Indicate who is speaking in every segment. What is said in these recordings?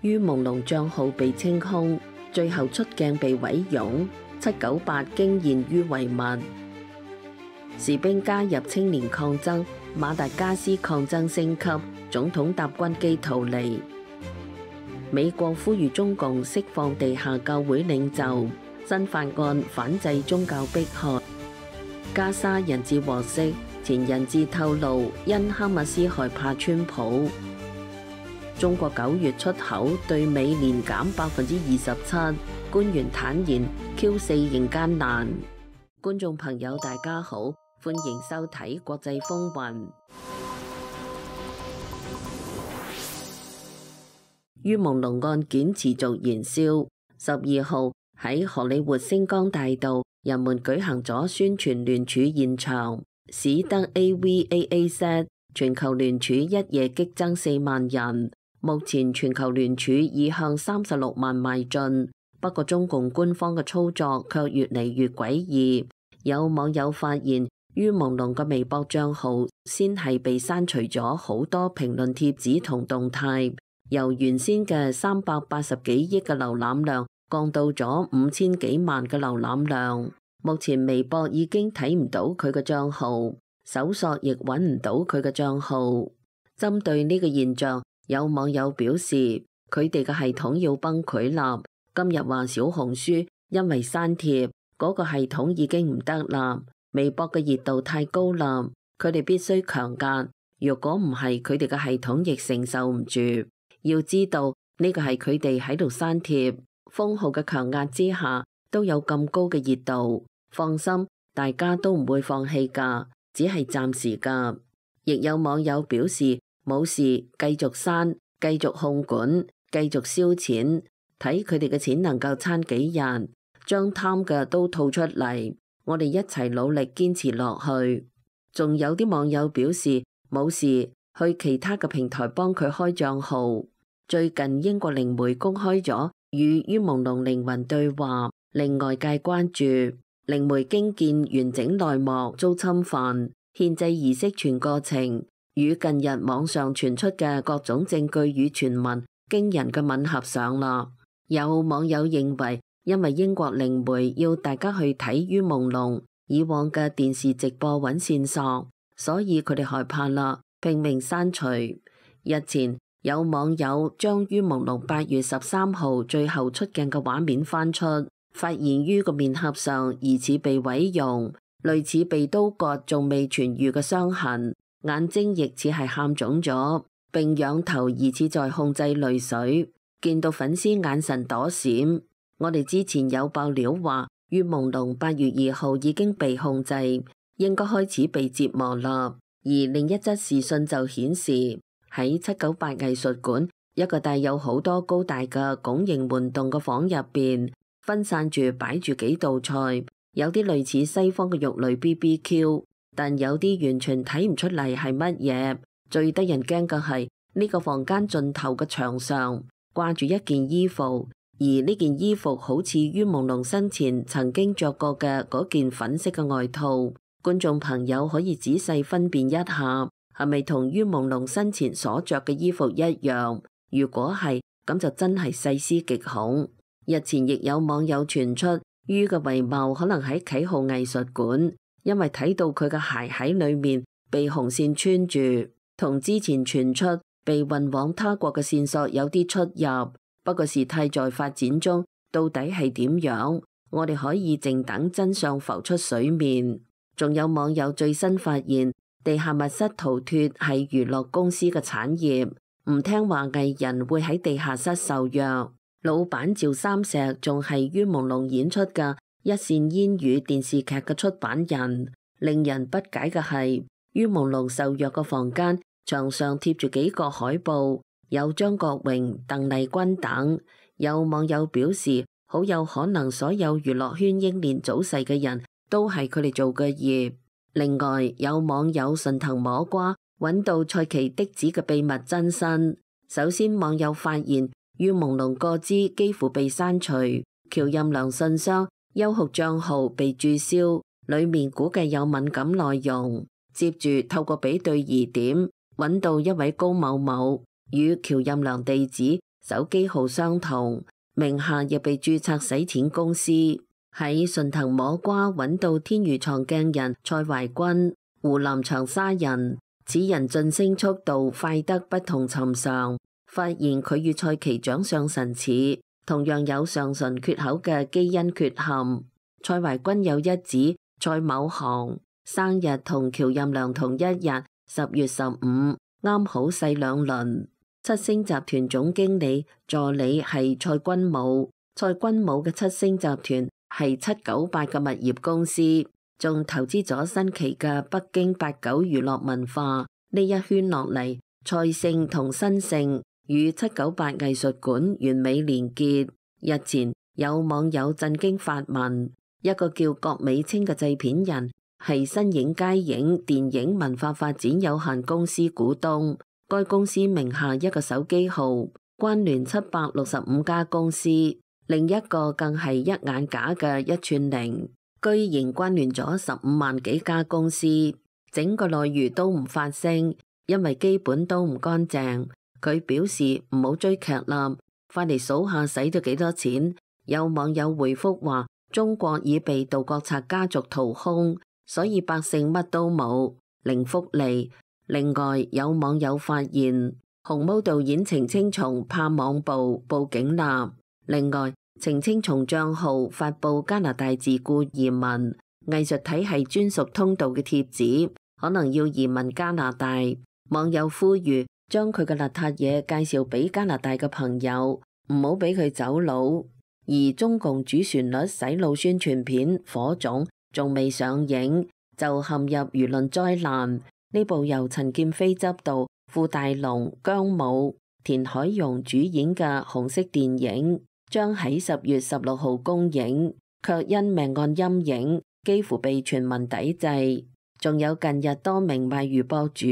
Speaker 1: 于朦朧帳號被清空，最後出鏡被毀容，798驚現於遺物。士兵加入青年抗爭，馬達加斯抗爭升級，總統搭軍機逃離。美國呼籲中共釋放地下教會領袖，新法案反制宗教迫害。加沙人質獲釋，前人質透露因哈馬斯害怕川普。中國9月出口對美年減27%，官員坦言 Q4 仍艱難。觀眾朋友大家好，歡迎收睇國際風雲。于朦朧案件持續燃燒，12號喺荷里活星光大道，人們舉行咗宣傳聯署現場，使得 AVAAZ 全球聯署一夜激增4萬人。目前全球聯署已向36萬邁進，不過中共官方嘅操作卻越嚟越詭異。有網友發現于朦朧嘅微博賬號先係被刪除咗好多評論貼紙同動態，由原先嘅380幾億嘅瀏覽量降到咗5000幾萬嘅瀏覽量。目前微博已經睇唔到佢嘅賬號，搜索亦揾唔到佢嘅賬號。針對呢個現象，有網友表示佢哋嘅系統要崩潰啦。今日話小紅書因為刪帖，嗰個系統已經唔得啦。微博嘅熱度太高啦，佢哋必須強壓。如果唔係，佢哋嘅系統亦承受唔住。要知道呢個係佢哋喺度刪帖，封號嘅強壓之下都有咁高嘅熱度。放心，大家都唔會放棄㗎，只係暫時㗎。亦有網友表示冇事，繼續刪，繼續控管，繼續燒錢，睇佢哋嘅錢能夠撐幾日，將貪嘅都吐出嚟。我哋一齊努力堅持落去。仲有啲網友表示冇事，去其他嘅平台幫佢開賬號。最近英國靈媒公開咗與于朦朧靈魂對話，令外界關注。靈媒驚見完整內幕遭侵犯，獻祭儀式全過程與近日網上傳出嘅各種證據與傳聞驚人嘅吻合上啦。有網友認為，因為英國靈媒要大家去睇于朦朧以往嘅電視直播揾線索，所以佢哋害怕啦，拼命刪除。日前有網友將于朦朧8月13號最後出鏡嘅畫面翻出，發現于個面頰上疑似被毀容，類似被刀割仲未痊愈嘅傷痕，眼睛亦似係喊腫咗，並仰頭疑似在控制淚水，見到粉絲眼神躲閃。我哋之前有爆料話于朦朧8月2號已經被控制，應該開始被折磨啦。而另一則視訊就顯示喺798藝術館一個帶有好多高大嘅拱形門洞嘅房入邊，分散住擺住幾道菜，有啲類似西方嘅肉類 BBQ， 但有啲完全睇唔出嚟係乜嘢。最得人驚嘅係呢個房間盡頭嘅牆上掛住一件衣服，而呢件衣服好似于朦朧生前曾經着過嘅嗰件粉色嘅外套。觀眾朋友可以仔細分辨一下，係咪同于朦朧生前所着嘅衣服一樣？如果係，咁就真係細思極恐。日前亦有網友傳出于嘅遺貌可能喺啟浩藝術館，因為睇到佢嘅鞋喺裏面被紅線穿住，同之前傳出被運往他國嘅線索有啲出入。不過事態在發展中，到底係點樣？我哋可以靜等真相浮出水面。仲有網友最新發現，地下密室逃脫係娛樂公司嘅產業，唔聽話藝人會喺地下室受虐。老闆趙三石仲係于朦朧演出嘅一線煙雨電視劇嘅出版人。令人不解嘅係，于朦朧受虐嘅房間牆上貼住幾個海報，有張國榮、鄧麗君等。有網友表示，好有可能所有娛樂圈英年早逝嘅人都係佢哋做嘅業。另外，有網友順藤摸瓜揾到蔡奇的子嘅秘密真身。首先，網友發現于朦朧個資幾乎被刪除，喬任梁信箱、優酷賬號被註銷，裏面估計有敏感內容。接住透過比對疑點，揾到一位高某某與喬任梁地址手機號相同，名下亦被註冊洗錢公司。喺順藤摸瓜揾到天娛藏鏡人蔡懷君，湖南長沙人，此人晉升速度快得不同尋常。發現佢與蔡其長相神似，同樣有上唇缺口嘅基因缺陷。蔡懷君有一子蔡某航，生日同喬任梁同一日，10月15，啱好細兩輪。七星集團總經理助理係蔡君武，蔡君武嘅七星集團係798嘅物業公司，仲投資咗新奇嘅北京89娛樂文化。呢一圈落嚟，蔡姓同新姓與798藝術館完美連結。日前有網友震驚發文，一個叫郭美清嘅製片人係新影佳影電影文化發展有限公司股東，該公司名下一個手機號關聯765家公司，另一個更係一眼假嘅一串零，居然關聯咗15萬幾家公司，整個內娛都唔發聲，因為基本都唔乾淨。佢表示唔好追劇啦，快嚟數下使咗幾多錢。有網友回覆話，中國已被盜國賊家族掏空，所以百姓乜都冇，零福利。另外有網友發現紅毛導演程青松怕網暴報警啦。另外程青松賬號發布加拿大自僱移民藝術體系專屬通道嘅貼紙，可能要移民加拿大。網友呼籲將佢嘅邋遢嘢介紹俾加拿大嘅朋友，唔好俾佢走佬。而中共主旋律洗腦宣傳片《火種》仲未上映，就陷入輿論災難。呢部由陳劍飛執導、傅大龍、姜武、田海蓉主演嘅紅色電影，將喺10月16號公映，卻因命案陰影幾乎被全民抵制。仲有近日多名賣魚博主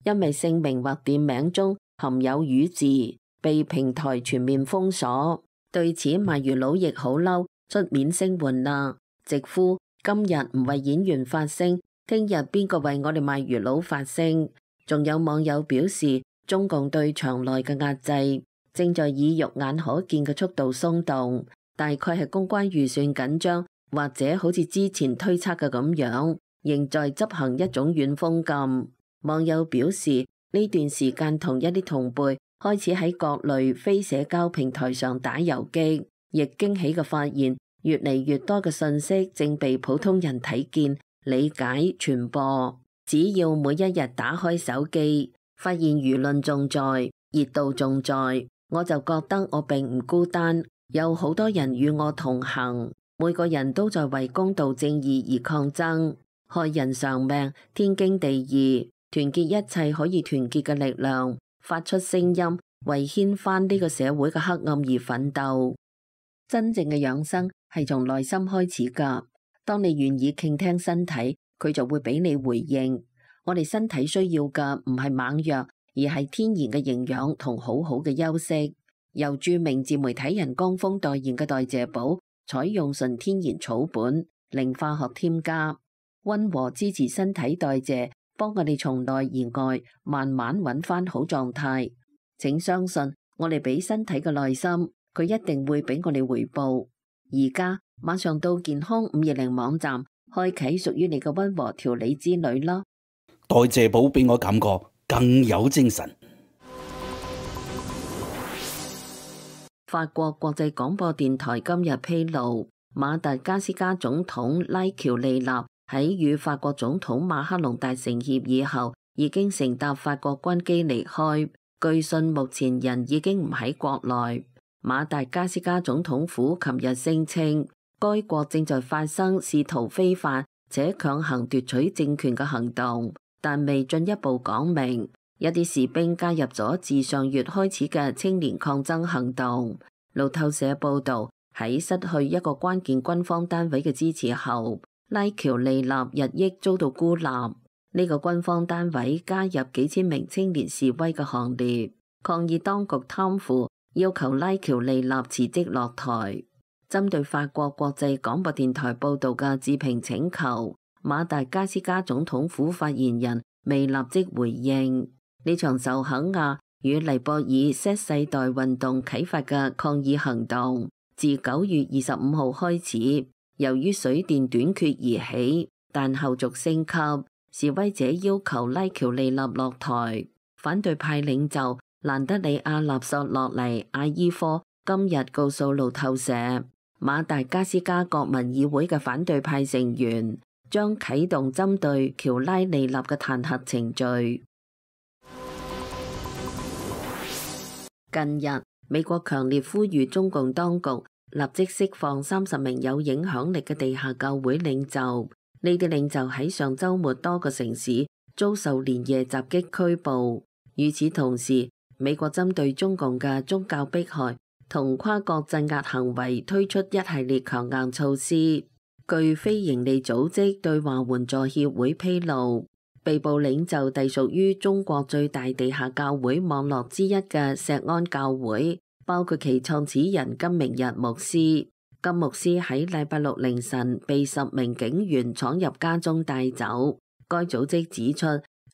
Speaker 1: 因為姓名或店名中含有魚字，被平台全面封鎖。對此賣魚佬亦好嬲，出面聲援啦，直呼今日唔為演員發聲，聽日邊個為我哋賣魚佬發聲？仲有網友表示，中共對場內嘅壓制正在以肉眼可見嘅速度鬆動，大概係公關預算緊張，或者好似之前推測嘅咁樣，仍在執行一種軟封禁。網友表示，呢段時間同一啲同輩開始喺各類非社交平台上打遊擊，亦驚喜嘅發現，越嚟越多嘅信息正被普通人睇見、理解、傳播。只要每一日打開手機，發現輿論仲在，熱度仲在，我就覺得我並唔孤單，有好多人與我同行，每個人都在為公道正義而抗爭，害人償命，天經地義。團結一切可以團結嘅力量，發出聲音，為掀翻呢個社會嘅黑暗而奮鬥。真正嘅養生係從內心開始㗎。當你願意傾聽身體，佢就會俾你回應。我哋身體需要嘅唔係猛藥，而係天然嘅營養同好好嘅休息。由著名自媒體人江峰代言嘅代謝寶，採用純天然草本，零化學添加，溫和支持身體代謝，幫我哋從內而外慢慢揾翻好狀態。請相信我哋俾身體嘅耐心，佢一定會俾我哋回報。而家馬上到健康520網站開啟屬於你嘅溫和調理之旅啦！
Speaker 2: 代謝寶俾我感覺更有精神。
Speaker 1: 法國國際廣播電台今日披露，馬達加斯加總統拉喬利納喺與法國總統馬克龍達成協議後，已經乘搭法國軍機離開。據信目前人已經唔喺國內。馬達加斯加總統府琴日聲稱，該國正在發生試圖非法且強行奪取政權嘅行動，但未進一步講明。一啲士兵加入咗自上月開始嘅青年抗爭行動。路透社報道，喺失去一個關鍵軍方單位嘅支持後，拉喬利納日益遭到孤立。呢個軍方單位加入幾千名青年示威嘅行列，抗議當局貪腐，要求拉喬利納辭職落台。針對法國國際廣播電台報道嘅置評請求，馬達加斯加總統府發言人未立即回應。呢場受肯亞與尼泊爾 Z 世代運動啟發嘅抗議行動，自9月25號開始，由於水電短缺而起，但後續升級，示威者要求拉喬利納落台。反對派領袖蘭德里亞納索洛尼阿伊科今日告訴路透社，馬達加斯加國民議會嘅反對派成員將啟動針對喬拉利納嘅彈劾程序。近日，美國強烈呼籲中共當局立即釋放30名有影響力嘅地下教會領袖。呢啲領袖喺上週末多個城市遭受連夜襲擊拘捕。與此同時，美國針對中共嘅宗教迫害同跨國鎮壓行為推出一系列強硬措施。據非營利組織對華援助協會披露，被捕領袖隸屬於中國最大地下教會網絡之一嘅錫安教會，包括其創始人金明日牧師。金牧師喺禮拜六凌晨被10名警員闖入家中帶走。該組織指出，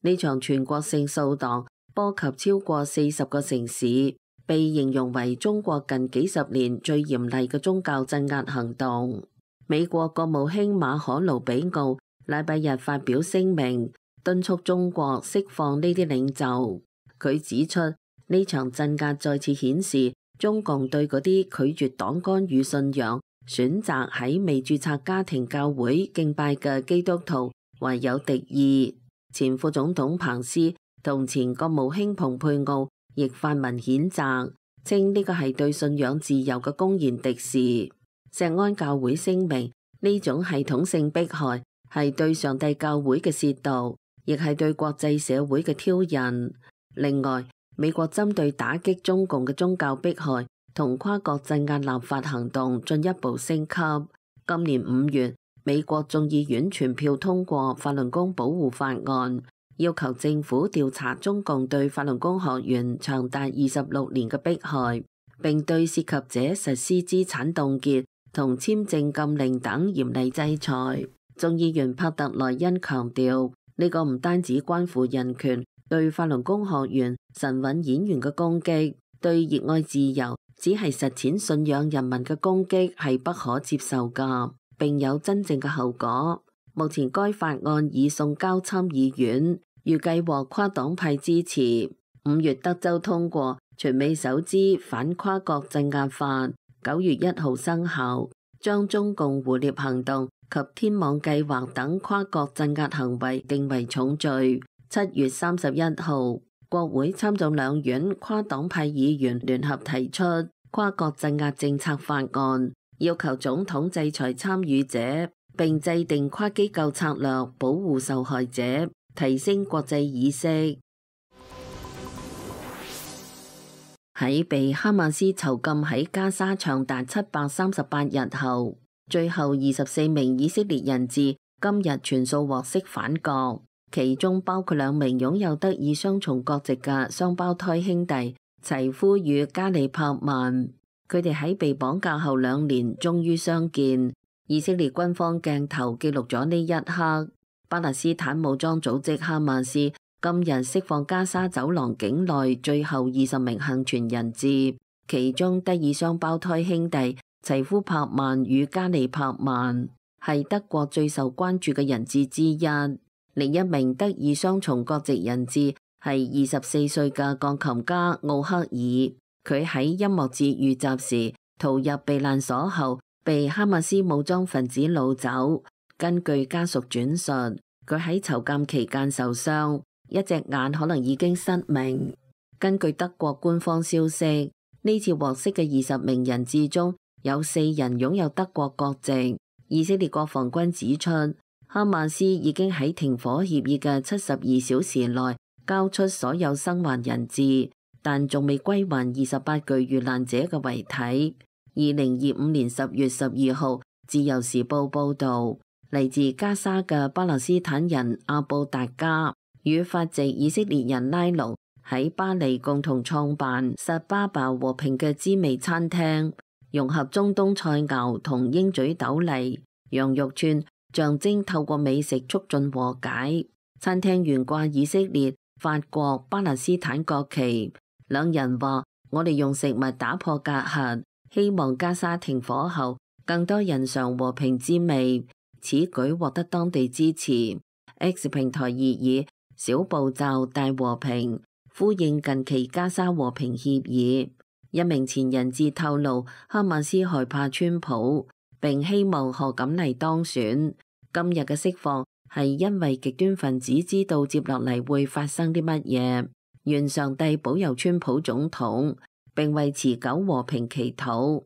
Speaker 1: 呢場全國性掃蕩波及超過40個城市，被形容為中國近幾十年最嚴厲嘅宗教鎮壓行動。美國國務卿馬可盧比奧禮拜日發表聲明，敦促中國釋放呢啲領袖。佢指出，呢場鎮壓再次顯示中共對嗰啲拒絕黨干預信仰、選擇喺未註冊家庭教會敬拜嘅基督徒懷有敵意。前副總統彭斯同前國務卿蓬佩奧亦發文譴責，稱呢個係對信仰自由嘅公然敵視。錫安教會聲明，呢種系統性迫害係對上帝教會嘅褻瀆，亦係對國際社會嘅挑釁。另外，美國針對打擊中共嘅宗教迫害同跨國鎮壓立法行動進一步升級。今年5月，美國眾議院全票通過法輪功保護法案，要求政府調查中共對法輪功學員長達26年嘅迫害，並對涉及者實施資產凍結同簽證禁令等嚴厲制裁。眾議員帕特萊恩強調，呢個唔單止關乎人權，對法輪功學員、神韻演員嘅攻擊，對熱愛自由、只係實踐信仰人民嘅攻擊係不可接受㗎，並有真正嘅後果。目前該法案已送交參議院，預計獲跨黨派支持。5月德州通過全美首支反跨國鎮壓法，9月1號生效，將中共胡獵行動及天網計劃等跨國鎮壓行為定為重罪。7月31號，國會參眾兩院跨黨派議員聯合提出跨國鎮壓政策法案，要求總統制裁參與者，並制定跨機構策略保護受害者，提升國際意識。喺被哈馬斯囚禁喺加沙長達738日後，最後24名以色列人質今日全數獲釋返國，其中包括2名擁有德以雙重國籍嘅雙胞胎兄弟齊夫與加里柏曼。佢哋喺被綁架後2年終於相見。以色列軍方鏡頭記錄咗呢一刻。巴勒斯坦武裝組織哈馬斯今日釋放加沙走廊境內最後20名幸存人質，其中德以雙胞胎兄弟齊夫柏曼與加里柏曼係德國最受關注嘅人質之一。另一名德以雙重國籍人質係24歲嘅鋼琴家奧克爾，佢喺音樂節遇襲時逃入避難所後，被哈馬斯武裝分子擄走。根據家屬轉述，佢喺囚禁期間受傷，一隻眼可能已經失明。根據德國官方消息，呢次獲釋嘅20名人質中有4人擁有德國國籍。以色列國防軍指出，哈馬斯已經喺停火協議嘅72小時內交出所有生還人質，但仲未歸還28具遇難者嘅遺體。2025年10月12號，自由時報報導，嚟自加沙嘅巴勒斯坦人阿布達加與法籍以色列人拉魯喺巴黎共同創辦薩巴巴和平嘅滋味餐廳，融合中東菜餚同鷹嘴豆泥、羊肉串，象徵透過美食促進和解。餐廳懸掛以色列、法國、巴勒斯坦國旗，兩人話：我哋用食物打破隔閡，希望加沙停火後更多人嘗和平滋味。此舉獲得當地支持。X 平台熱議小步驟大和平，呼應近期加沙和平協議。一名前人質透露，哈馬斯害怕川普，並希望賀錦麗當選。今日嘅釋放係因為極端分子知道接落嚟會發生啲乜嘢，願上帝保佑川普總統，並為持久和平祈禱。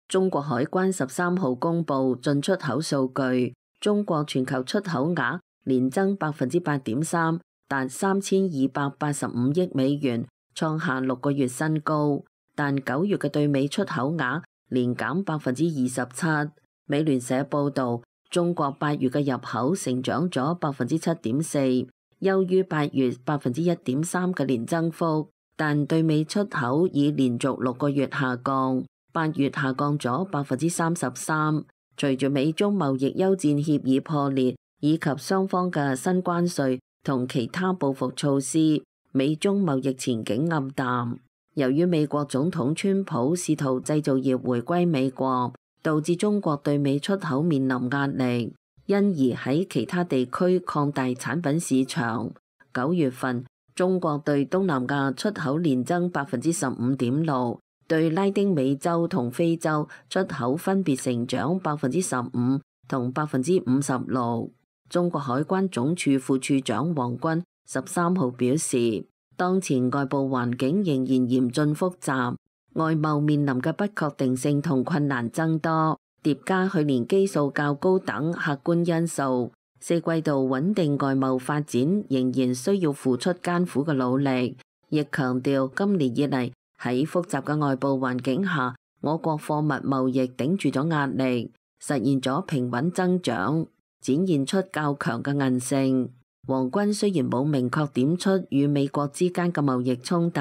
Speaker 1: 中國海關13號公布進出口數據，中國全球出口額年增8.3%，達3285億美元，創下6個月新高。但9月嘅對美出口額年減27%。美聯社報導，中國8月嘅入口成長咗7.4%，優於8月1.3%嘅年增幅，但對美出口已連續6個月下降。8月下降咗33%，隨住美中貿易休戰協議破裂，以及雙方嘅新關稅同其他報復措施，美中貿易前景暗淡。由於美國總統川普試圖製造業回歸美國，導致中國對美出口面臨壓力，因而喺其他地區擴大產品市場。9月份，中國對東南亞出口年增15.6%。對拉丁美洲同非洲出口分別成長15%同56%。中國海關總署副署長黃軍13號表示，當前外部環境仍然嚴峻複雜，外貿面臨嘅不確定性同困難增多，疊加去年基數較高等客觀因素，四季度穩定外貿發展仍然需要付出艱苦嘅努力。亦強調今年以嚟，喺複雜嘅外部環境下，我國貨物貿易頂住咗壓力，實現咗平穩增長，展現出較強嘅韌性。黃軍雖然冇明確點出與美國之間嘅貿易衝突，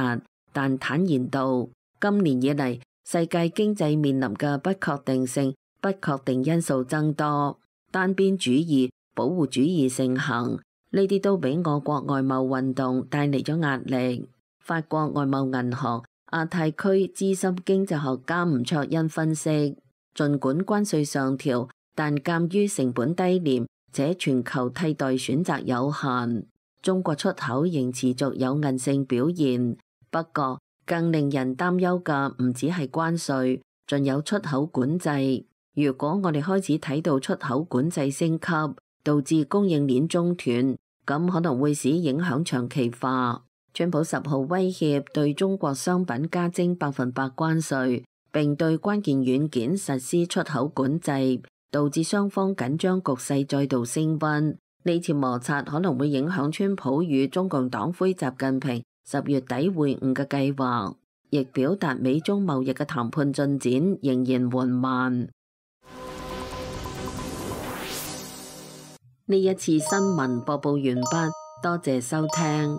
Speaker 1: 但坦言道，今年以嚟世界經濟面臨嘅不確定性、不確定因素增多，單邊主義、保護主義盛行，呢啲都俾我國外貿運動帶嚟咗壓力。法國外貿銀行亞太區資深經濟學家吳卓恩分析，儘管關稅上調，但鑑於成本低廉且全球替代選擇有限，中國出口仍持續有韌性表現。不過，更令人擔憂嘅唔只係關稅，仲有出口管制。如果我哋開始睇到出口管制升級，導致供應鏈中斷，咁可能會使影響長期化。川普10號威脅對中國商品加徵100%關稅，並對關鍵軟件實施出口管制，導致雙方緊張局勢再度升溫。呢次摩擦可能會影響川普與中共黨魁習近平10月底會晤嘅計劃，亦表達美中貿易嘅談判進展仍然緩慢。呢一次新聞播報完畢，多謝收聽。